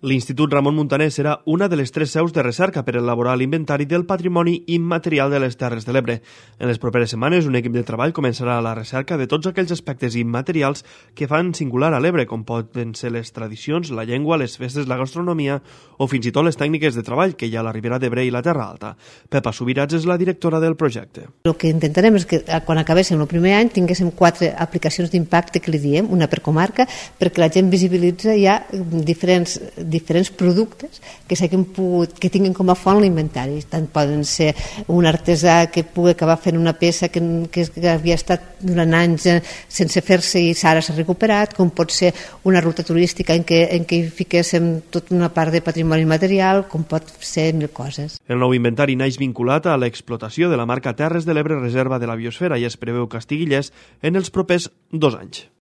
L'Institut Ramon Muntaner serà una de les 3 seus de recerca per elaborar l'inventari del patrimoni immaterial de les Terres de l'Ebre. En les properes setmanes, un equip de treball començarà la recerca de tots aquells aspectes immaterials que fan singular a l'Ebre, com poden ser les tradicions, la llengua, les festes, la gastronomia o fins i tot les tècniques de treball que hi ha a la Ribera d'Ebre i la Terra Alta. Pepa Subirats és la directora del projecte. El que intentarem és que quan acabéssim el primer any tinguéssim 4 aplicacions d'impacte que li diem, una per comarca, perquè la gent visibilitza ja diferents productes que que tinguin com a font l'inventari. Tant poden ser un artesà que pugui acabar fent una peça que havia estat durant anys sense fer-se i ara s'ha recuperat, com pot ser una ruta turística en què hi fiquéssim tota una part de patrimoni material, com pot ser mil coses. El nou inventari naix vinculat a l'explotació de la marca Terres de l'Ebre Reserva de la Biosfera i es preveu que estigui llest en els propers 2 anys.